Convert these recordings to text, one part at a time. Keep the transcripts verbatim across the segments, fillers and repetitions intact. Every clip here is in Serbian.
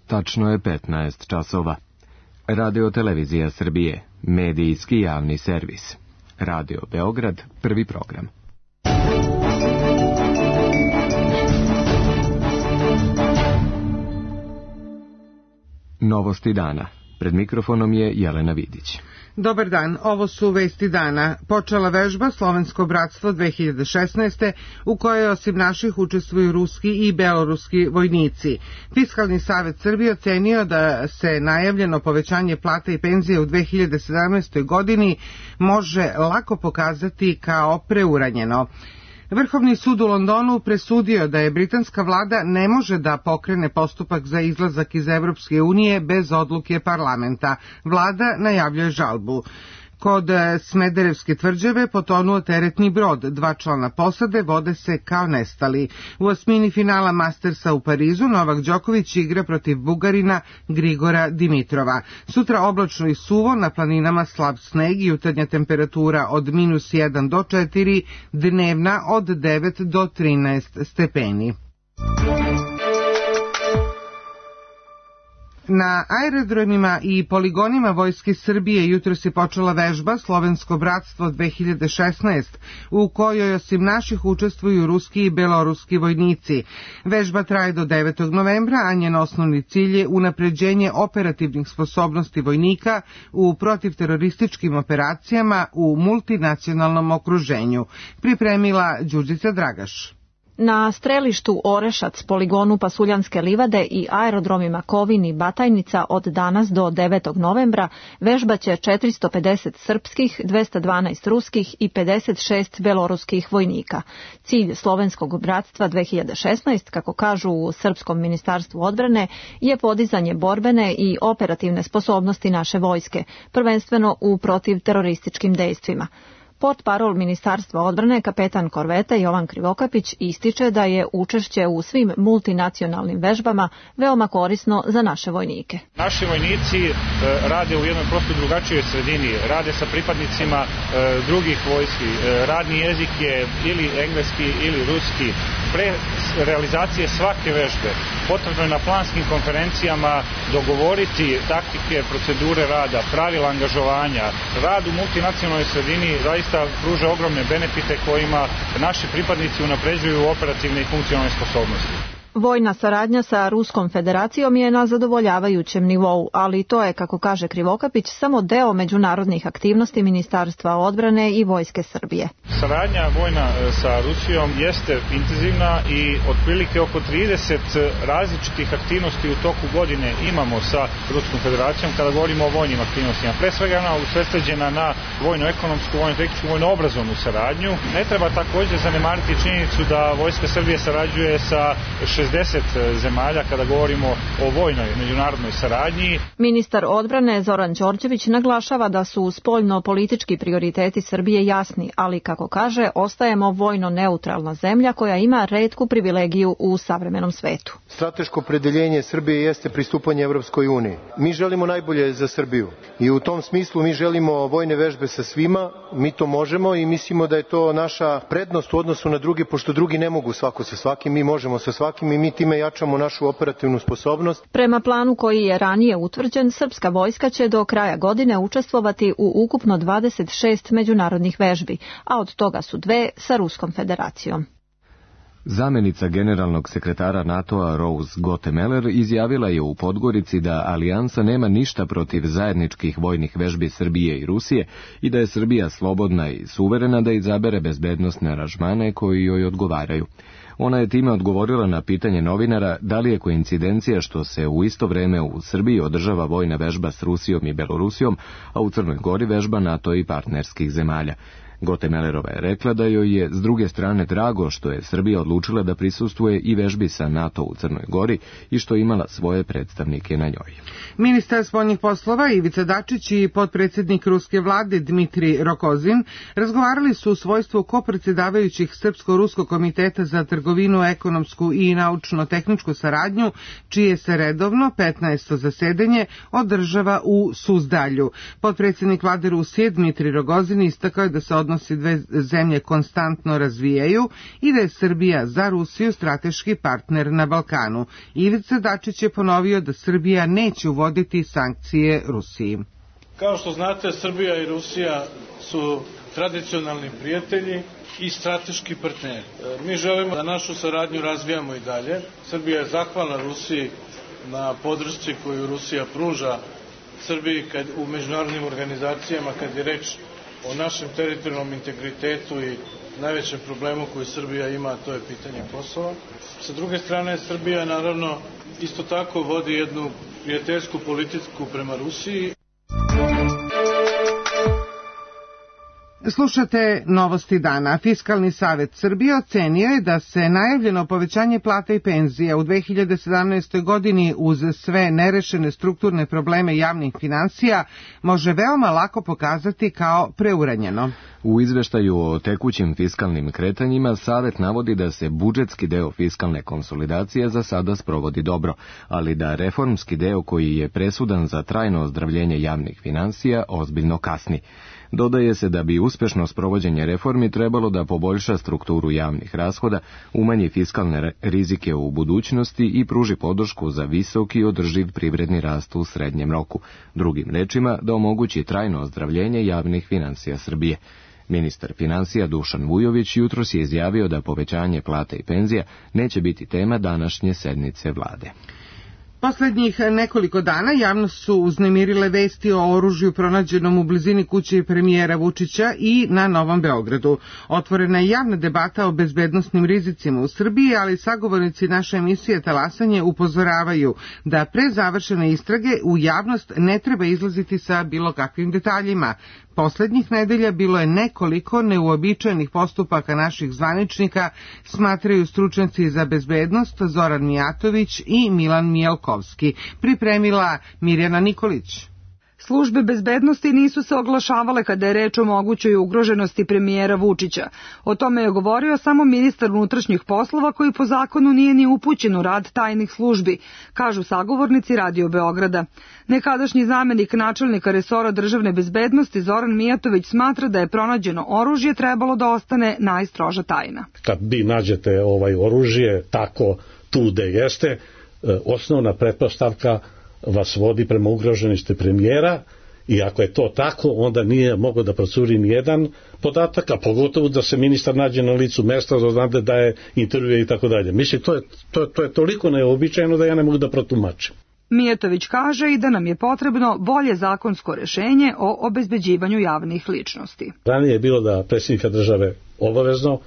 Tačno je petnaest časova. Radio Televizija Srbije, medijski javni servis. Radio Beograd, prvi program. Novosti dana. Pred mikrofonom je Jelena Vidić. Dobar dan, ovo su vesti dana. Počela vežba Slovensko bratstvo dve hiljade šesnaeste. u kojoj osim naših učestvuju ruski i beloruski vojnici. Fiskalni savet Srbije ocenio da se najavljeno povećanje plata i penzije u dve hiljade sedamnaestoj. godini može lako pokazati kao preuranjeno. Vrhovni sud u Londonu presudio da je britanska vlada ne može da pokrene postupak za izlazak iz Evropske unije bez odluke parlamenta. Vlada najavljuje žalbu. Kod Smederevske tvrđave potonuo teretni brod, dva člana posade vode se kao nestali. U osmini finala Mastersa u Parizu Novak Đoković igra protiv Bugarina Grigora Dimitrova. Sutra oblačno i suvo, na planinama slab sneg i jutarnja temperatura od minus jedan do četiri, dnevna od devet do trinaest stepeni. Na aerodromima i poligonima Vojske Srbije jutros je počela vežba Slovensko bratstvo dve hiljade šesnaeste. u kojoj osim naših učestvuju ruski i beloruski vojnici. Vežba traje do devetog novembra, a njen osnovni cilj je unapređenje operativnih sposobnosti vojnika u protivterorističkim operacijama u multinacionalnom okruženju. Pripremila Đurđica Dragaš. Na strelištu Orešac, poligonu Pasuljanske livade i aerodromima Kovin i Batajnica od danas do devetog novembra vežbaće četiristo pedeset srpskih, dvesta dvanaest ruskih i pedeset šest beloruskih vojnika. Cilj Slovenskog bratstva dve hiljade šesnaeste, kako kažu u Srpskom ministarstvu odbrane, je podizanje borbene i operativne sposobnosti naše vojske, prvenstveno u protivterorističkim dejstvima. Portparol Ministarstva odbrane, kapetan korvete Jovan Krivokapić, ističe da je učešće u svim multinacionalnim vežbama veoma korisno za naše vojnike. Naši vojnici e, rade u jednoj prosto drugačijoj sredini, rade sa pripadnicima e, drugih vojski. E, radni jezik je ili engleski ili ruski. Pre realizacije svake vežbe potrebno je na planskim konferencijama dogovoriti taktike, procedure rada, pravila angažovanja. Rad u multinacionalnoj sredini zaista pruža ogromne benefite kojima naši pripadnici unapređuju operativne i funkcionalne sposobnosti. Vojna saradnja sa Ruskom federacijom je na zadovoljavajućem nivou, ali to je, kako kaže Krivokapić, samo deo međunarodnih aktivnosti Ministarstva odbrane i Vojske Srbije. Saradnja vojna sa Rusijom jeste intenzivna i otprilike oko trideset različitih aktivnosti u toku godine imamo sa Ruskom federacijom kada govorimo o vojnim aktivnostima. Pre svega ona usredsređena na vojno-ekonomsku, vojno-tehničku, vojno-obrazovnu saradnju. Ne treba također zanemariti činjenicu da Vojska Srbije sarađuje sa šezdeset zemalja kada govorimo o vojnoj međunarodnoj saradnji. Ministar odbrane Zoran Đorđević naglašava da su spoljno-politički prioriteti Srbije jasni, ali kako kaže, ostajemo vojno neutralna zemlja koja ima retku privilegiju u savremenom svetu. Strateško opredeljenje Srbije jeste pristupanje Evropskoj uniji. Mi želimo najbolje za Srbiju i u tom smislu mi želimo vojne vežbe sa svima, mi to možemo i mislimo da je to naša prednost u odnosu na druge, pošto drugi ne mogu svako sa svakim, mi možemo sa svakim i mi time jačamo našu operativnu sposobnost. Prema planu koji je ranije utvrđen, srpska vojska će do kraja godine učestvovati u ukupno dvadeset šest međunarodnih vežbi, a od toga su dve sa Ruskom federacijom. Zamenica generalnog sekretara NATO-a Rose Gottemeller izjavila je u Podgorici da alijansa nema ništa protiv zajedničkih vojnih vežbi Srbije i Rusije i da je Srbija slobodna i suverena da izabere bezbednosne aranžmane koji joj odgovaraju. Ona je time odgovorila na pitanje novinara da li je koincidencija što se u isto vreme u Srbiji održava vojna vežba s Rusijom i Belorusijom, a u Crnoj Gori vežba NATO i partnerskih zemalja. Gottemellerova je rekla da joj je s druge strane drago što je Srbija odlučila da prisustvuje i vežbi sa NATO u Crnoj Gori i što je imala svoje predstavnike na njoj. Ministar spoljnih poslova Ivica Dačić i potpredsjednik ruske vlade Dmitri Rokozin razgovarali su u svojstvu kopredsjedavajućih Srpsko-ruskog komiteta za trgovinu, ekonomsku i naučno-tehničku saradnju, čije se redovno petnaesto zasedanje održava u Suzdalju. Potpredsjednik vlade Rusije Dmitri Rogozin istakao je da se odnosi dve zemlje konstantno razvijaju i da je Srbija za Rusiju strateški partner na Balkanu. Ivica Dačić je ponovio da Srbija neće uvoditi sankcije Rusiji. Kao što znate, Srbija i Rusija su tradicionalni prijatelji i strateški partneri. Mi želimo da našu saradnju razvijamo i dalje. Srbija je zahvalna Rusiji na podršci koju Rusija pruža Srbiji kad, u međunarodnim organizacijama kad je reč o našem teritorijalnom integritetu i najvećem problemu koji Srbija ima, a to je pitanje Kosova. Sa druge strane, Srbija naravno isto tako vodi jednu prijateljsku politiku prema Rusiji. Slušate Novosti dana. Fiskalni savet Srbije ocenio je da se najavljeno povećanje plata i penzija u dve hiljade sedamnaestoj. godini uz sve nerešene strukturne probleme javnih finansija može veoma lako pokazati kao preuranjeno. U izveštaju o tekućim fiskalnim kretanjima savet navodi da se budžetski deo fiskalne konsolidacije za sada sprovodi dobro, ali da reformski deo koji je presudan za trajno ozdravljenje javnih finansija ozbiljno kasni. Dodaje se da bi uspešno sprovođenje reformi trebalo da poboljša strukturu javnih rashoda, umanji fiskalne rizike u budućnosti i pruži podršku za visok i održiv privredni rast u srednjem roku. Drugim rečima, da omogući trajno ozdravljenje javnih finansija Srbije. Ministar finansija Dušan Vujović jutros je izjavio da povećanje plata i penzija neće biti tema današnje sednice vlade. Poslednjih nekoliko dana javnost su uznemirile vesti o oružju pronađenom u blizini kuće premijera Vučića i na Novom Beogradu. Otvorena je javna debata o bezbednosnim rizicima u Srbiji, ali sagovornici naše emisije Talasanje upozoravaju da pre završene istrage u javnost ne treba izlaziti sa bilo kakvim detaljima. Poslednjih nedelja bilo je nekoliko neuobičajenih postupaka naših zvaničnika, smatraju stručnjaci za bezbednost Zoran Mijatović i Milan Mijalkovski. Pripremila Mirjana Nikolić. Službe bezbednosti nisu se oglašavale kada je reč o mogućoj ugroženosti premijera Vučića. O tome je govorio samo ministar unutrašnjih poslova koji po zakonu nije ni upućen u rad tajnih službi, kažu sagovornici Radio Beograda. Nekadašnji zamenik načelnika resora državne bezbednosti Zoran Mijatović smatra da je pronađeno oružje trebalo da ostane najstroža tajna. Kad vi nađete ovaj oružje tako tu gde jeste, osnovna pretpostavka vas vodi prema ugroženosti premijera i ako je to tako, onda nije mogao da procuri ni jedan podatak, a pogotovo da se ministar nađe na licu mesta, da znate da je intervju i tako dalje. Mislim, to je, to, to je toliko neobičajno da ja ne mogu da protumačim. Mijatović kaže i da nam je potrebno bolje zakonsko rešenje o obezbeđivanju javnih ličnosti. Ranije je bilo da predsjednika države obavezno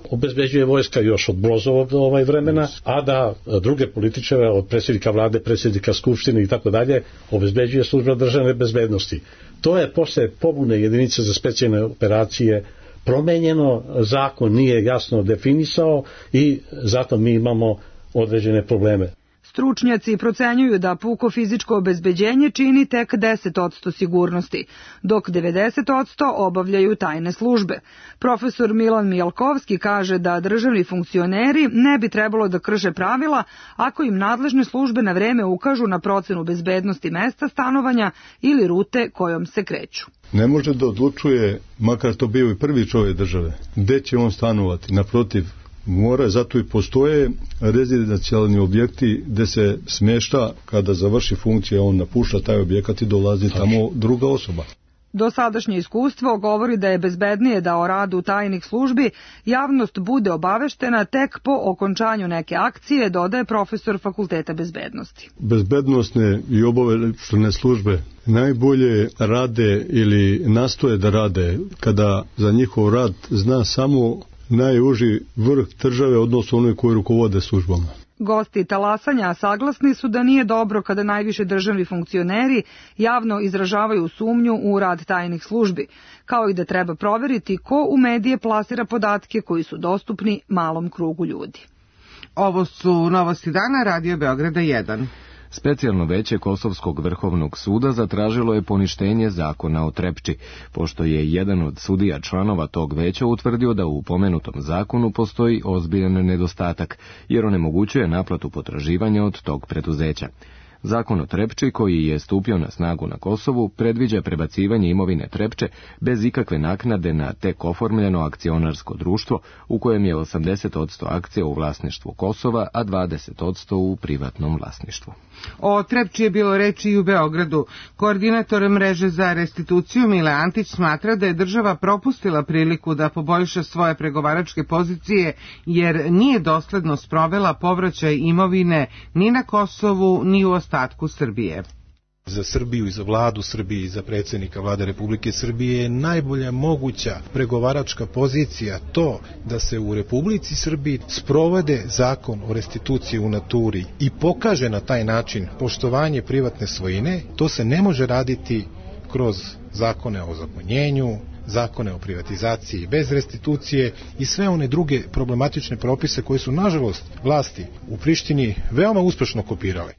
obezbeđuje vojska još od Brozovog ovaj vremena, a da druge političare od predsjednika vlade, predsjednika skupštine i tako dalje obezbeđuje služba državne bezbednosti. To je posle pobune jedinice za specijalne operacije promenjeno, zakon nije jasno definisao i zato mi imamo određene probleme. Stručnjaci procenjuju da puko fizičko obezbeđenje čini tek deset posto sigurnosti, dok devedeset posto obavljaju tajne službe. Profesor Milan Mijalkovski kaže da državni funkcioneri ne bi trebalo da krše pravila ako im nadležne službe na vreme ukažu na procenu bezbednosti mesta stanovanja ili rute kojom se kreću. Ne može da odlučuje, makar to bio i prvi čovjek države, gde će on stanovati, naprotiv, mora, zato i postoje rezidencijalni objekti gde se smješta, kada završi funkcija, on napušta taj objekat i dolazi tamo druga osoba. Dosadašnje iskustvo govori da je bezbednije da o radu tajnih službi javnost bude obaveštena tek po okončanju neke akcije, dodaje profesor Fakulteta bezbednosti. Bezbednosne i obaveštajne službe najbolje rade ili nastoje da rade kada za njihov rad zna samo najuži vrh države, odnosno onoj koji rukovode službama. Gosti talasanja saglasni su da nije dobro kada najviše državni funkcioneri javno izražavaju sumnju u rad tajnih službi, kao i da treba proveriti ko u medije plasira podatke koji su dostupni malom krugu ljudi. Ovo su Novosti dana, Radio Beograda jedan. Specijalno veće Kosovskog vrhovnog suda zatražilo je poništenje zakona o Trepči, pošto je jedan od sudija članova tog veća utvrdio da u pomenutom zakonu postoji ozbiljan nedostatak, jer onemogućuje naplatu potraživanja od tog preduzeća. Zakon o Trepči, koji je stupio na snagu na Kosovu, predviđa prebacivanje imovine Trepče bez ikakve naknade na tek oformljeno akcionarsko društvo u kojem je osamdeset posto akcija u vlasništvu Kosova, a dvadeset posto u privatnom vlasništvu. O Trepči je bilo reči i u Beogradu. Koordinator mreže za restituciju Mile Antić smatra da je država propustila priliku da poboljša svoje pregovaračke pozicije jer nije dosledno sprovela povraćaj imovine ni na Kosovu ni u ostatku Srbije. Za Srbiju i za vladu Srbije i za predsjednika vlade Republike Srbije je najbolja moguća pregovaračka pozicija to da se u Republici Srbiji sprovede zakon o restituciji u naturi i pokaže na taj način poštovanje privatne svojine. To se ne može raditi kroz zakone o ozakonjenju, zakone o privatizaciji bez restitucije i sve one druge problematične propise koje su nažalost vlasti u Prištini veoma uspešno kopirale.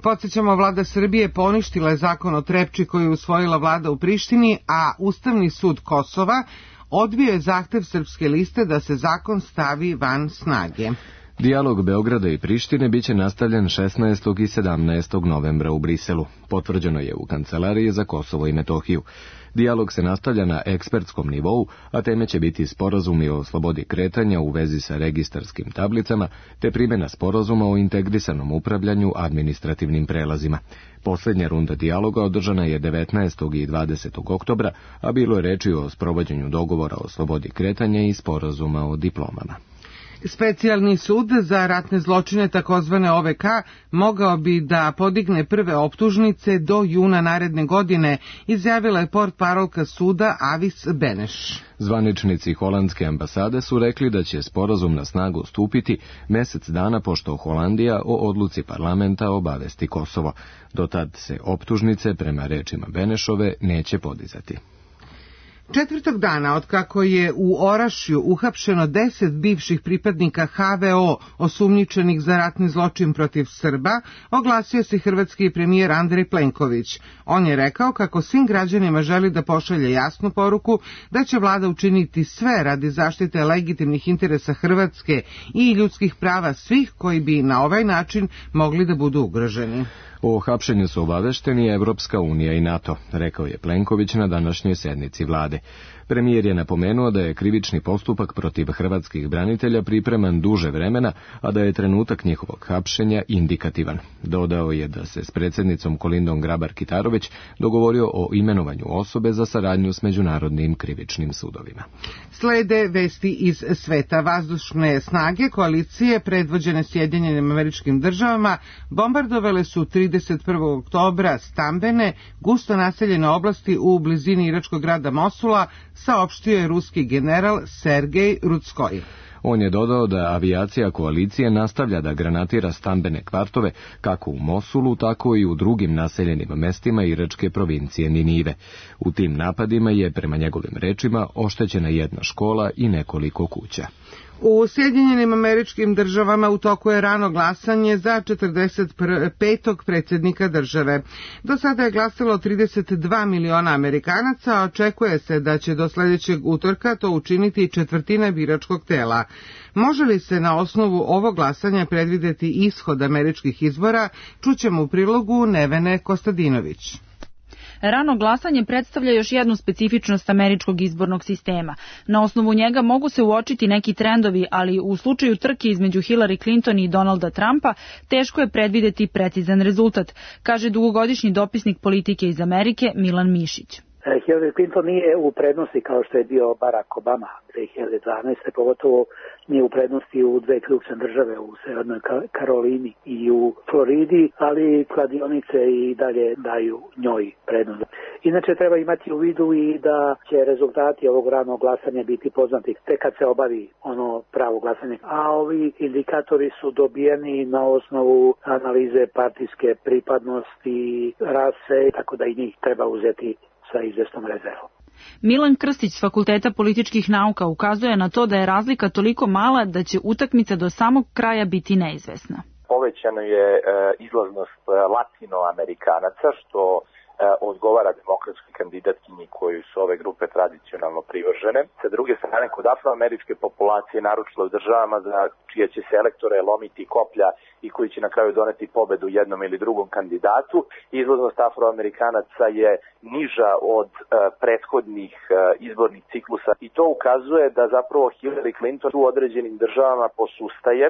Podsjećamo, vlada Srbije poništila je zakon o Trepči koji je usvojila vlada u Prištini, a Ustavni sud Kosova odbio je zahtev Srpske liste da se zakon stavi van snage. Dijalog Beograda i Prištine biće nastavljen šesnaestog i sedamnaestog novembra u Briselu. Potvrđeno je u Kancelariji za Kosovo i Metohiju. Dijalog se nastavlja na ekspertskom nivou, a teme će biti sporazumi o slobodi kretanja u vezi sa registarskim tablicama, te primjena sporazuma o integrisanom upravljanju administrativnim prelazima. Posljednja runda dijaloga održana je devetnaestog i dvadesetog oktobra, a bilo je reči o sprovođenju dogovora o slobodi kretanja i sporazuma o diplomama. Specijalni sud za ratne zločine takozvane O V K mogao bi da podigne prve optužnice do juna naredne godine, izjavila je portparolka suda Avis Beneš. Zvaničnici holandske ambasade su rekli da će sporazum na snagu stupiti mesec dana pošto Holandija o odluci parlamenta obavesti Kosovo. Dotad se optužnice, prema rečima Benešove, neće podizati. Četvrtog dana, otkako je u Orašju uhapšeno deset bivših pripadnika H V O osumnjičenih za ratni zločin protiv Srba, oglasio se hrvatski premijer Andrej Plenković. On je rekao kako svim građanima želi da pošalje jasnu poruku da će vlada učiniti sve radi zaštite legitimnih interesa Hrvatske i ljudskih prava svih koji bi na ovaj način mogli da budu ugroženi. O hapšenju su obavešteni Evropska unija i NATO, rekao je Plenković na današnjoj sednici vlade. Premijer je napomenuo da je krivični postupak protiv hrvatskih branitelja pripreman duže vremena, a da je trenutak njihovog hapšenja indikativan. Dodao je da se s predsjednicom Kolindom Grabar-Kitarović dogovorio o imenovanju osobe za saradnju s međunarodnim krivičnim sudovima. Slede vesti iz sveta. Vazdušne snage koalicije predvođene Sjedinjenim Američkim Državama bombardovale su trideset prvog oktobra stambene, gusto naseljene oblasti u blizini iračkog grada Mosula, saopštio je ruski general Sergej Rudskoj. On je dodao da avijacija koalicije nastavlja da granatira stambene kvartove kako u Mosulu, tako i u drugim naseljenim mestima iračke provincije Ninive. U tim napadima je, prema njegovim rečima, oštećena jedna škola i nekoliko kuća. U Sjedinjenim Američkim Državama u toku je rano glasanje za četrdeset petog predsjednika države. Do sada je glasalo trideset dva miliona Amerikanaca, a očekuje se da će do sljedećeg utorka to učiniti četvrtina biračkog tela. Može li se na osnovu ovog glasanja predvideti ishod američkih izbora, čućemo u prilogu Nevene Kostadinović. Rano glasanje predstavlja još jednu specifičnost američkog izbornog sistema. Na osnovu njega mogu se uočiti neki trendovi, ali u slučaju trke između Hillary Clinton i Donalda Trumpa teško je predvideti precizan rezultat, kaže dugogodišnji dopisnik politike iz Amerike Milan Mišić. Hillary Clinton nije u prednosti kao što je bio Barack Obama dve hiljade dvanaeste. Pogotovo nije u prednosti u dve ključne države, u Severnoj Karolini i u Floridi, ali kladionice i dalje daju njoj prednost. Inače treba imati u vidu i da će rezultati ovog ranog glasanja biti poznati tek kad se obavi ono pravo glasanje. A ovi indikatori su dobijeni na osnovu analize partijske pripadnosti, rase, tako da i njih treba uzeti sa izvesnom rezervom. Milan Krstić s Fakulteta političkih nauka ukazuje na to da je razlika toliko mala da će utakmica do samog kraja biti neizvesna. Povećana je e, izlaznost latinoamerikanaca, što odgovara demokratskoj kandidatkinji koju su ove grupe tradicionalno privržene. Sa druge strane, kod afroameričke populacije, naročito u državama za čije će se elektore lomiti koplja i koji će na kraju doneti pobedu jednom ili drugom kandidatu, izlaznost afroamerikanaca je niža od uh, prethodnih uh, izbornih ciklusa i to ukazuje da zapravo Hillary Clinton u određenim državama posustaje.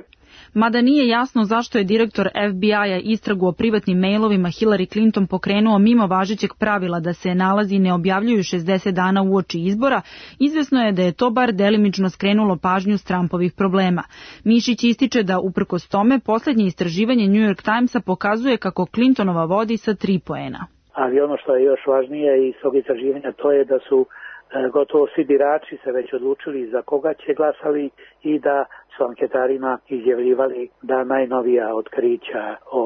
Mada nije jasno zašto je direktor F B I-a istragu o privatnim mailovima Hillary Clinton pokrenuo mimo važećeg pravila da se nalazi ne objavljuju šezdeset dana uoči izbora, izvesno je da je to bar delimično skrenulo pažnju s Trumpovih problema. Mišić ističe da uprkos tome poslednje istraživanje New York Timesa pokazuje kako Clintonova vodi sa tri poena. Ali ono što je još važnije iz tog istraživanja to je da su gotovo svi birači se već odlučili za koga će glasali i da su anketarima izjavljivali da najnovija otkrića o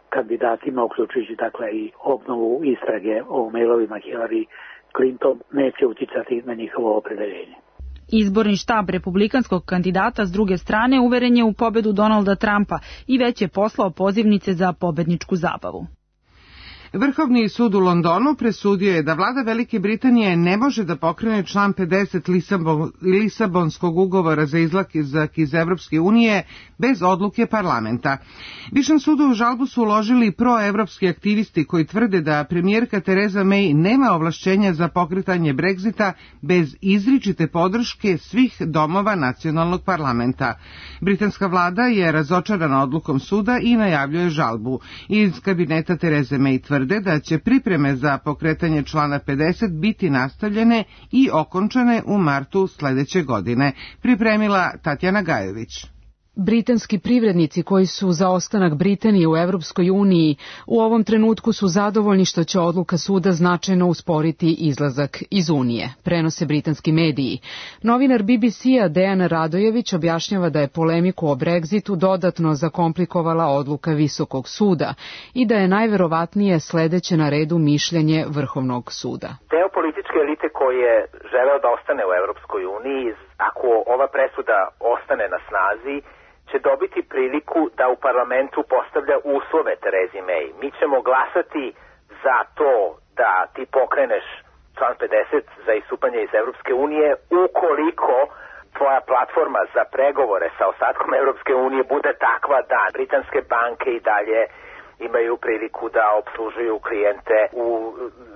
kandidatima, uključujući dakle i obnovu istrage o mailovima Hillary Clinton, neće uticati na njihovo opredeljenje. Izborni štab republikanskog kandidata s druge strane uveren je u pobedu Donalda Trumpa i već je poslao pozivnice za pobedničku zabavu. Vrhovni sud u Londonu presudio je da vlada Velike Britanije ne može da pokrene član pedeset Lisabon, Lisabonskog ugovora za izlazak iz Evropske unije bez odluke parlamenta. Višem sudu u žalbu su uložili proevropski aktivisti koji tvrde da premijerka Tereza May nema ovlašćenja za pokretanje Brexita bez izričite podrške svih domova nacionalnog parlamenta. Britanska vlada je razočarana odlukom suda i najavljuje žalbu. Iz kabineta Tereze May tvrde da će pripreme za pokretanje člana pedeset biti nastavljene i okončane u martu sledeće godine, pripremila Tatjana Gajević. Britanski privrednici koji su za ostanak Britanije u Evropskoj uniji u ovom trenutku su zadovoljni što će odluka suda značajno usporiti izlazak iz Unije, prenose britanski mediji. Novinar B B C-a Dejan Radojević objašnjava da je polemiku o Brexitu dodatno zakomplikovala odluka Visokog suda i da je najverovatnije sledeće na redu mišljenje Vrhovnog suda. Deo političke elite koji je želeo da ostane u Evropskoj uniji, ako ova presuda ostane na snazi, će dobiti priliku da u parlamentu postavlja uslove Terezi May. Mi ćemo glasati za to da ti pokreneš član pedeset za istupanje iz Evropske unije ukoliko tvoja platforma za pregovore sa ostatkom Evropske unije bude takva da britanske banke i dalje imaju priliku da obslužuju klijente u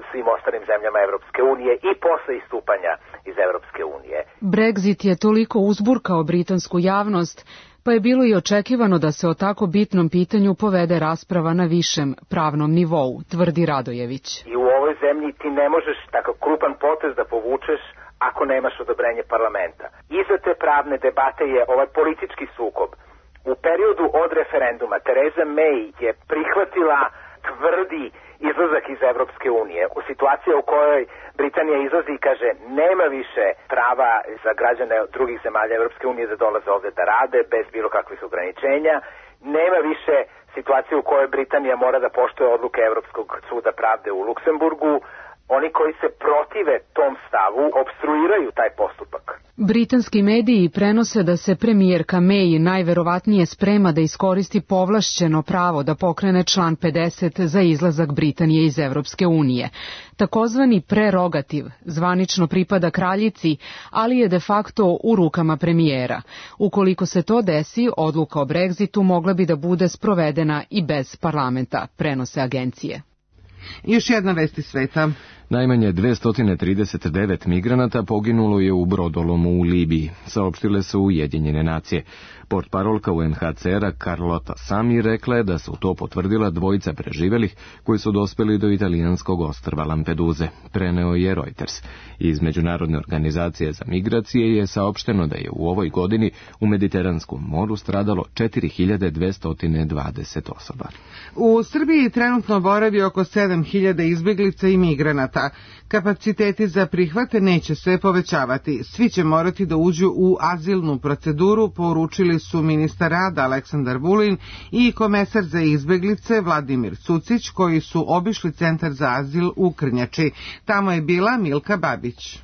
svim ostalim zemljama Evropske unije i posle istupanja iz Evropske unije. Brexit je toliko uzburkao britansku javnost, pa je bilo i očekivano da se o tako bitnom pitanju povede rasprava na višem pravnom nivou, tvrdi Radojević. I u ovoj zemlji ti ne možeš takav krupan potez da povučeš ako nemaš odobrenje parlamenta. Iza te pravne debate je ovaj politički sukob. U periodu od referenduma Tereza May je prihvatila tvrdi izlazak iz Evropske unije. U situaciji u kojoj Britanija izlazi i kaže nema više prava za građane drugih zemalja Evropske unije da dolaze ovde da rade bez bilo kakvih ograničenja, nema više situacije u kojoj Britanija mora da poštuje odluke Evropskog suda pravde u Luksemburgu. Oni koji se protive tom stavu opstruiraju taj postupak. Britanski mediji prenose da se premijerka May najverovatnije sprema da iskoristi povlašćeno pravo da pokrene član pedeset za izlazak Britanije iz Evropske unije. Takozvani prerogativ zvanično pripada kraljici, ali je de facto u rukama premijera. Ukoliko se to desi, odluka o Brexitu mogla bi da bude sprovedena i bez parlamenta, prenose agencije. Još jedna vest iz sveta. Najmanje dvesta trideset devet migranata poginulo je u brodolomu u Libiji, saopštile su Ujedinjene nacije. Portparolka U N H C R-a Carlota Sami rekla je da su to potvrdila dvojica preživelih koji su dospeli do italijanskog ostrva Lampeduze, preneo je Reuters. Iz Međunarodne organizacije za migracije je saopšteno da je u ovoj godini u Mediteranskom moru stradalo četiri hiljade dvesta dvadeset osoba. U Srbiji trenutno boravi oko sedam hiljada izbeglica i migranata. Kapaciteti za prihvate neće se povećavati. Svi će morati da uđu u azilnu proceduru, poručili su ministar rada Aleksandar Vulin i komesar za izbeglice Vladimir Cucić, koji su obišli centar za azil u Krnjači. Tamo je bila Milka Babić.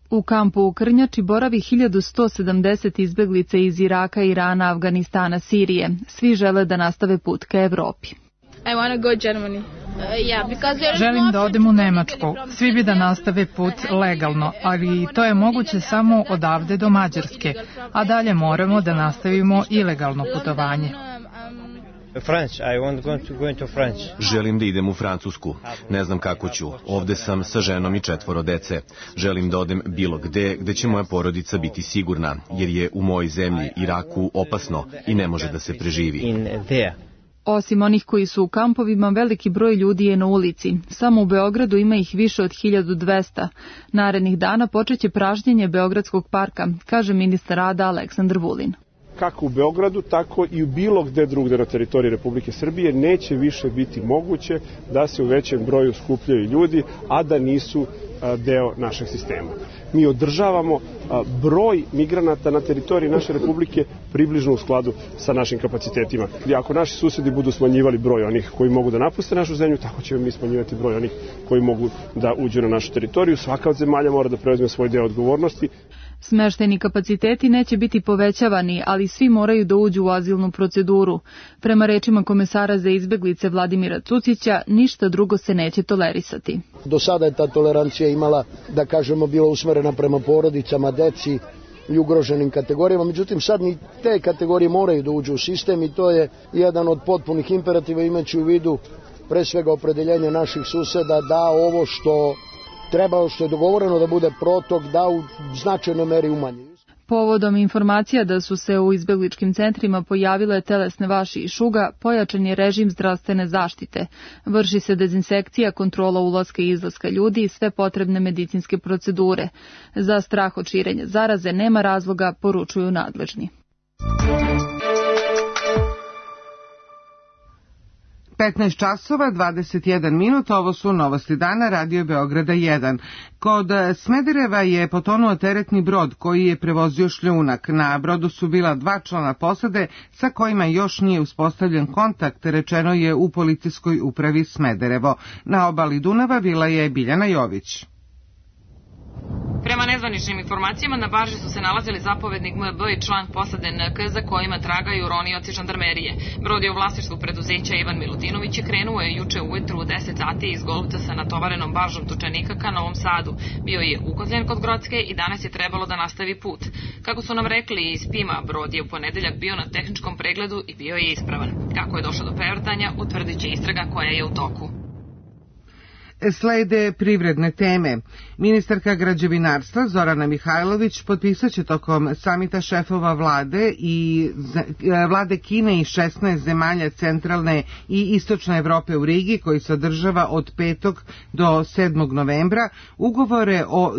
U kampu u Krnjači boravi hiljadu sto sedamdeset izbeglica iz Iraka, Irana, Afganistana, Sirije. Svi žele da nastave put ka Evropi. I want to go Germany. Želim da odem u Nemačku. Svi bi da nastave put legalno, ali to je moguće samo odavde do Mađarske, a dalje moramo da nastavimo ilegalno putovanje. Želim da idem u Francusku. Ne znam kako ću. Ovde sam sa ženom i četvoro dece. Želim da odem bilo gde, gde će moja porodica biti sigurna, jer je u mojoj zemlji, Iraku, opasno i ne može da se preživi. Osim onih koji su u kampovima, veliki broj ljudi je na ulici. Samo u Beogradu ima ih više od hiljadu dvesta. Narednih dana počeće pražnjenje Beogradskog parka, kaže ministar rada Aleksandar Vulin. Kako u Beogradu, tako i u bilo gde drugde na teritoriji Republike Srbije neće više biti moguće da se u većem broju skupljaju ljudi, a da nisu deo našeg sistema. Mi održavamo broj migranata na teritoriji naše Republike približno u skladu sa našim kapacitetima. Ako naši susedi budu smanjivali broj onih koji mogu da napuste našu zemlju, tako ćemo mi smanjivati broj onih koji mogu da uđu na našu teritoriju. Svaka od zemalja mora da preuzme svoj deo odgovornosti. Smeštajni kapaciteti neće biti povećavani, ali svi moraju da uđu u azilnu proceduru. Prema rečima komesara za izbeglice Vladimira Cucića, ništa drugo se neće tolerisati. Do sada je ta tolerancija imala, da kažemo, bila usmerena prema porodicama, deci i ugroženim kategorijama, međutim sad ni te kategorije moraju da uđu u sistem i to je jedan od potpunih imperativa, imajući u vidu pre svega opredeljenje naših suseda da ovo što treba, što je dogovoreno da bude protok, da u značajnoj meri umanji. Povodom informacija da su se u izbegličkim centrima pojavile telesne vaši i šuga, pojačan je režim zdravstvene zaštite. Vrši se dezinsekcija, kontrola ulaska i izlaska ljudi i sve potrebne medicinske procedure. Za strah od širenja zaraze nema razloga, poručuju nadležni. petnaest časova, dvadeset jedan minut, ovo su novosti dana, Radio Beograda jedan. Kod Smedereva je potonuo teretni brod koji je prevozio šljunak. Na brodu su bila dva člana posade sa kojima još nije uspostavljen kontakt, rečeno je u policijskoj upravi Smederevo. Na obali Dunava bila je Biljana Jović. Prema nezvaničnim informacijama, na barži su se nalazili zapovednik M B i član posade N K za kojima tragaju ronioci žandarmerije. Brod je u vlasništvu preduzeća Ivan Milutinović i krenuo je juče ujutru u deset sati iz Golubca sa natovarenom baržom tučenika ka Novom Sadu. Bio je ukozljen kod Grocke i danas je trebalo da nastavi put. Kako su nam rekli iz Pima, brod je u ponedeljak bio na tehničkom pregledu i bio je ispravan. Kako je došlo do prevrtanja, utvrdit će istraga koja je u toku. Slede privredne teme. Ministarka građevinarstva Zorana Mihajlović potpisat će tokom samita šefova vlade i vlade Kine i šesnaest zemalja centralne i istočne Evrope u Rigi, koji se održava od petog do sedmog novembra, ugovore o,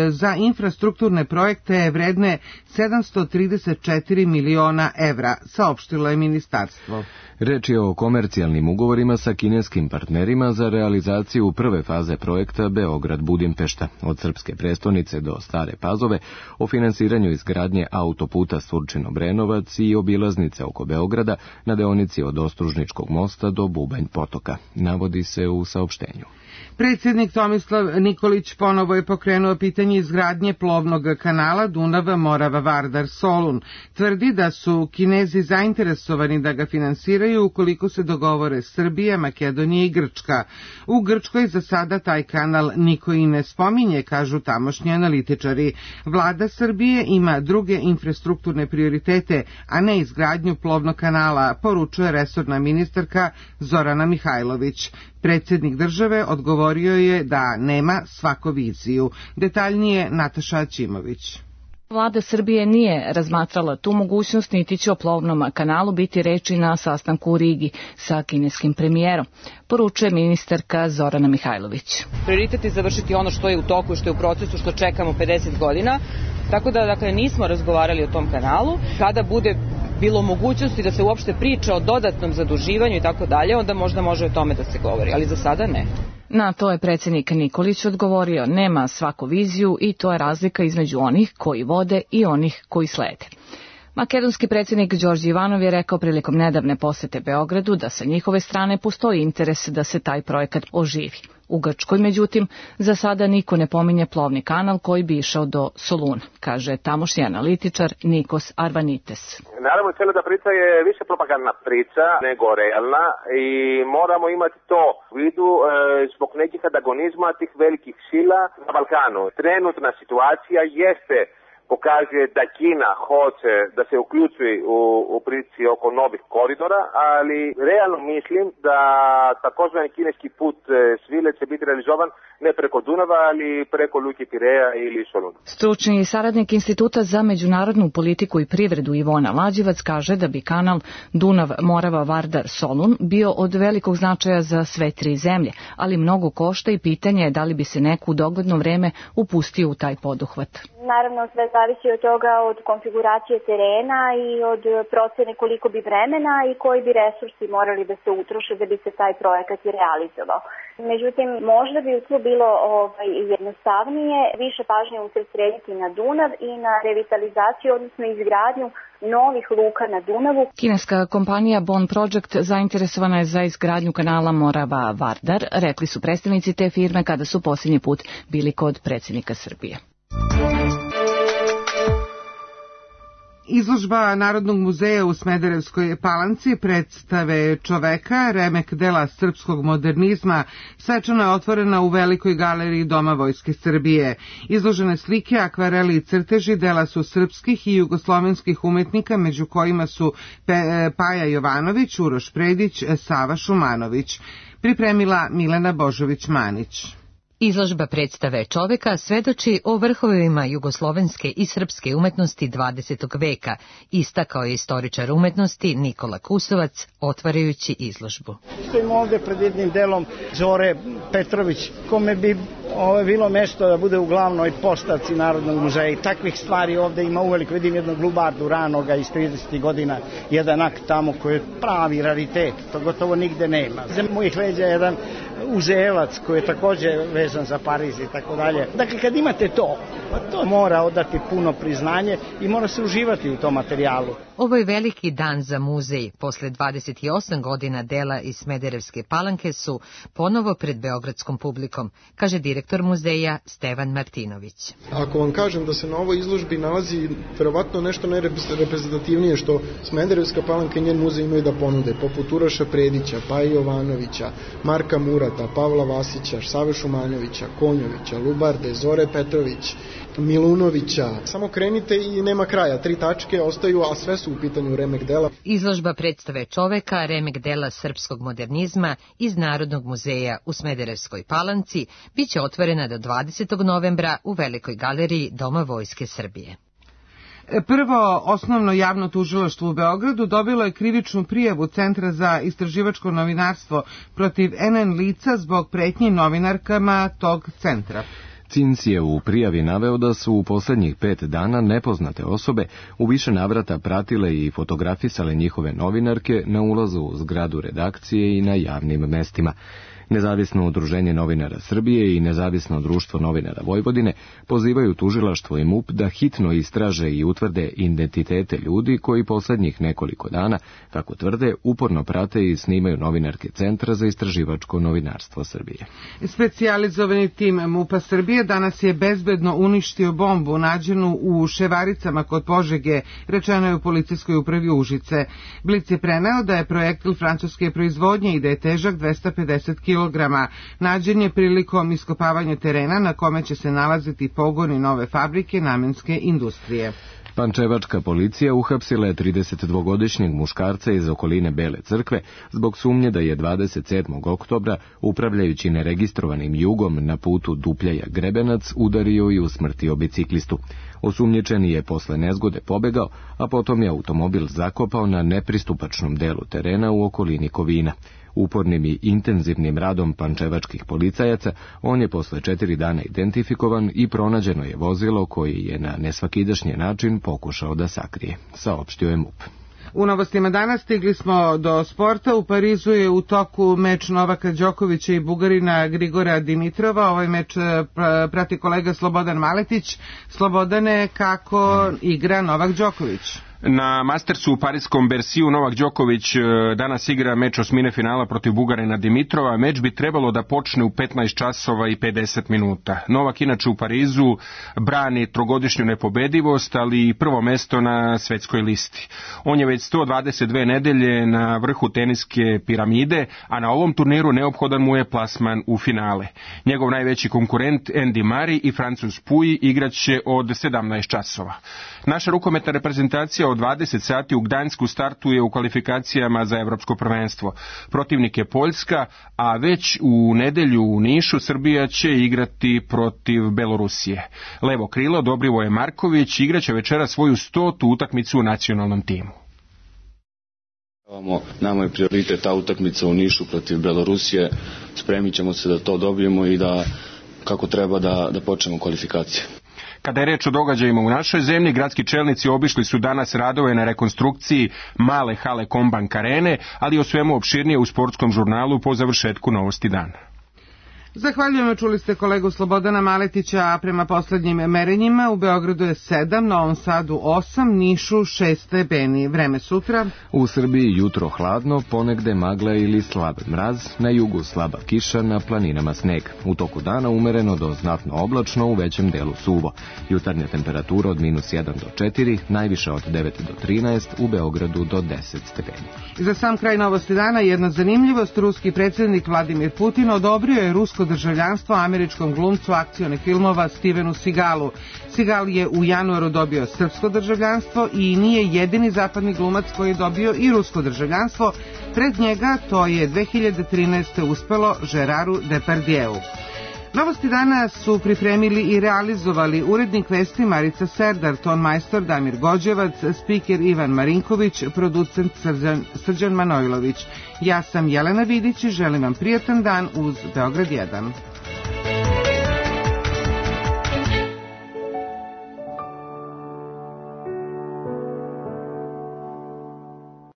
za infrastrukturne projekte vredne sedamsto trideset četiri miliona evra, saopštilo je ministarstvo. Reč je o komercijalnim ugovorima sa kineskim partnerima za realizaciju prve faze projekta Beograd-Budimpešta, od srpske prestonice do Stare Pazove, o finansiranju izgradnje autoputa Surčin-Obrenovac i obilaznice oko Beograda na deonici od Ostružničkog mosta do Bubanj potoka, navodi se u saopštenju. Predsjednik Tomislav Nikolić ponovo je pokrenuo pitanje izgradnje plovnog kanala Dunav-Morava-Vardar-Solun. Tvrdi da su Kinezi zainteresovani da ga finansiraju ukoliko se dogovore Srbija, Makedonija i Grčka. U Grčkoj za sada taj kanal niko i ne spominje, kažu tamošnji analitičari. Vlada Srbije ima druge infrastrukturne prioritete, a ne izgradnju plovnog kanala, poručuje resorna ministarka Zorana Mihajlović. Predsjednik države odgovorio je da nema svako viziju. Detaljnije Nataša Ćimović. Vlada Srbije nije razmatrala tu mogućnost, niti će o plovnom kanalu biti reči na sastanku u Rigi sa kineskim premijerom, poručuje ministarka Zorana Mihajlović. Prioritet je završiti ono što je u toku i što je u procesu, što čekamo pedeset godina, tako da dakle, nismo razgovarali o tom kanalu. Kada bude bilo mogućnosti da se uopšte priča o dodatnom zaduživanju i tako dalje, onda možda može o tome da se govori, ali za sada ne. Na to je predsjednik Nikolić odgovorio, nema svaku viziju i to je razlika između onih koji vode i onih koji slede. Makedonski predsjednik Đorđe Ivanov je rekao prilikom nedavne posete Beogradu da sa njihove strane postoji interes da se taj projekat oživi. U Grčkoj, međutim, za sada niko ne pominje plovni kanal koji bi išao do Soluna, kaže tamošnji analitičar Nikos Arvanites. Naravno, cijela ta priča je više propagandna priča nego realna i moramo imati to u vidu e, zbog nekih antagonizma tih velikih sila na Balkanu. Trenutna situacija jeste pokazuje da Kina hoće da se uključi u, u priči oko novih koridora, ali realno mislim da takozvani kineski put svile će biti realizovan ne preko Dunava, ali preko Luke Pireja ili Soluna. Stručni saradnik Instituta za međunarodnu politiku i privredu Ivona Lađevac kaže da bi kanal Dunav-Morava-Vardar-Solun bio od velikog značaja za sve tri zemlje, ali mnogo košta i pitanje je da li bi se neko u dogledno vreme upustio u taj poduhvat. Naravno, sve zavisi od toga, od konfiguracije terena i od procene koliko bi vremena i koji bi resursi morali da se utroše da bi se taj projekat i realizovao. Međutim, možda bi tu bilo ovaj, jednostavnije više pažnje usredsrediti na Dunav i na revitalizaciju, odnosno izgradnju novih luka na Dunavu. Kineska kompanija Bon Project zainteresovana je za izgradnju kanala Morava-Vardar, rekli su predstavnici te firme kada su posljednji put bili kod predsjednika Srbije. Izložba Narodnog muzeja u Smederevskoj Palanci predstave čoveka, remek dela srpskog modernizma, svečano je otvorena u Velikoj galeriji Doma Vojske Srbije. Izložene slike, akvareli i crteži dela su srpskih i jugoslovenskih umetnika, među kojima su Paja Jovanović, Uroš Predić, Sava Šumanović. Pripremila Milena Božović-Manić. Izložba predstave čoveka svedoči o vrhovima jugoslovenske i srpske umetnosti dvadesetog veka, istakao je istoričar umetnosti Nikola Kusovac, otvarajući izložbu. Stojimo ovde pred jednim delom Zore Petrović, kome bi ovo bilo mesto da bude u glavnoj postavci Narodnog muzeja. I takvih stvari ovde ima uveliko. Vidim jednog lubardu ranoga iz tridesetih godina, jedan akt tamo koji je pravi raritet, to gotovo nigde nema. Za mojih leđa je jedan uzevac koji je takođe vezan za Pariz i tako dalje. Dakle, kad imate to, pa to mora odati puno priznanje i mora se uživati u tom materijalu. Ovo je veliki dan za muzej. Posle dvadeset osam godina dela iz Smederevske Palanke su ponovo pred beogradskom publikom, kaže direktor muzeja Stevan Martinović. Ako vam kažem da se na ovoj izložbi nalazi verovatno nešto najreprezentativnije što Smederevska Palanka i njen muzej imaju da ponude, poput Uroša Predića, Paje Jovanovića, Marka Murata, Pavla Vasića, Save Šumanovića, Konjovića, Lubarde, Zore Petrović, Milunovića. Samo krenite i nema kraja. Tri tačke ostaju, a sve su u pitanju remek dela. Izložba predstave čoveka, remek dela srpskog modernizma iz Narodnog muzeja u Smederevskoj Palanci biće otvorena do dvadesetog novembra u Velikoj galeriji Doma Vojske Srbije. Prvo osnovno javno tužilaštvo u Beogradu dobilo je krivičnu prijavu Centra za istraživačko novinarstvo protiv en en lica zbog pretnji novinarkama tog centra. C I N S je u prijavi naveo da su u posljednjih pet dana nepoznate osobe u više navrata pratile i fotografisale njihove novinarke na ulazu u zgradu redakcije i na javnim mestima. Nezavisno udruženje novinara Srbije i Nezavisno društvo novinara Vojvodine pozivaju tužilaštvo i M U P da hitno istraže i utvrde identitete ljudi koji posljednjih nekoliko dana, kako tvrde, uporno prate i snimaju novinarke Centra za istraživačko novinarstvo Srbije. Specijalizovani tim M U P-a Srbije danas je bezbedno uništio bombu nađenu u Ševaricama kod Požege, rečeno je u policijskoj upravi Užice. Blic je preneo da je projektil francuske proizvodnje i da je težak dvesta pedeset kilograma. Nađen je prilikom iskopavanja terena na kome će se nalaziti pogoni nove fabrike namenske industrije. Pančevačka policija uhapsila je tridesetdvogodišnjeg muškarca iz okoline Bele crkve zbog sumnje da je dvadeset sedmog oktobra, upravljajući neregistrovanim jugom na putu Dupljaja-Grebenac, udario i usmrtio biciklistu. Osumnjičeni je posle nezgode pobegao, a potom je automobil zakopao na nepristupačnom delu terena u okolini Kovina. Upornim i intenzivnim radom pančevačkih policajaca on je posle četiri dana identifikovan i pronađeno je vozilo koji je na nesvakidašnji način pokušao da sakrije, saopštio je M U P. U novostima danas stigli smo do sporta. U Parizu je u toku meč Novaka Đokovića i Bugarina Grigora Dimitrova. Ovaj meč prati kolega Slobodan Maletić. Slobodane, kako igra Novak Đoković? Na Mastersu u parijskom Berciju Novak Đoković danas igra meč osmine finala protiv Bugarina Dimitrova. Meč bi trebalo da počne u petnaest časova i pedeset minuta. Novak inače u Parizu brani trogodišnju nepobedivost, ali i prvo mesto na svetskoj listi. On je već sto dvadeset dve nedelje na vrhu teniske piramide, a na ovom turniru neophodan mu je plasman u finale. Njegov najveći konkurent Andy Murray i Francuz Pouille igraće od sedamnaest časova. Naša rukometna reprezentacija od dvadeset sati u Gdansku startuje u kvalifikacijama za evropsko prvenstvo. Protivnik je Poljska, a već u nedelju u Nišu Srbija će igrati protiv Belorusije. Levo krilo Dobrivoje Marković igraće večera svoju stotu utakmicu u nacionalnom timu. Nama je prioritet ta utakmica u Nišu protiv Belorusije. Spremit ćemo se da to dobijemo i da kako treba da, da počnemo kvalifikacije. Kada je reč o događajima u našoj zemlji, gradski čelnici obišli su danas radove na rekonstrukciji male hale Kombank arene, ali o svemu opširnije u sportskom žurnalu po završetku Novosti dana. Zahvaljujemo, čuli ste kolegu Slobodana Maletića, a prema poslednjim merenjima u Beogradu je sedam, Novom Sadu osam, Nišu šest stepeni. Vreme sutra. U Srbiji jutro hladno, ponegde magla ili slab mraz, na jugu slaba kiša, na planinama sneg. U toku dana umereno do znatno oblačno, u većem delu suvo. Jutarnja temperatura od minus jedan do četiri, najviše od devet do trinaest, u Beogradu do deset stepeni. Za sam kraj Novosti dana jedna zanimljivost, ruski predsjednik Vladimir Putin odobrio je rusko državljanstvo američkom glumcu akcionih filmova Stevenu Seagalu. Seagal je u januaru dobio srpsko državljanstvo i nije jedini zapadni glumac koji je dobio i rusko državljanstvo. Pred njega to je dve hiljade trinaeste. uspelo Geraru Depardieu. Novosti dana su pripremili i realizovali urednik vesti Marica Serdar, ton majstor Damir Gođevac, spiker Ivan Marinković, producent Srđan, Srđan Manojlović. Ja sam Jelena Vidić i želim vam prijatan dan uz Beograd jedan.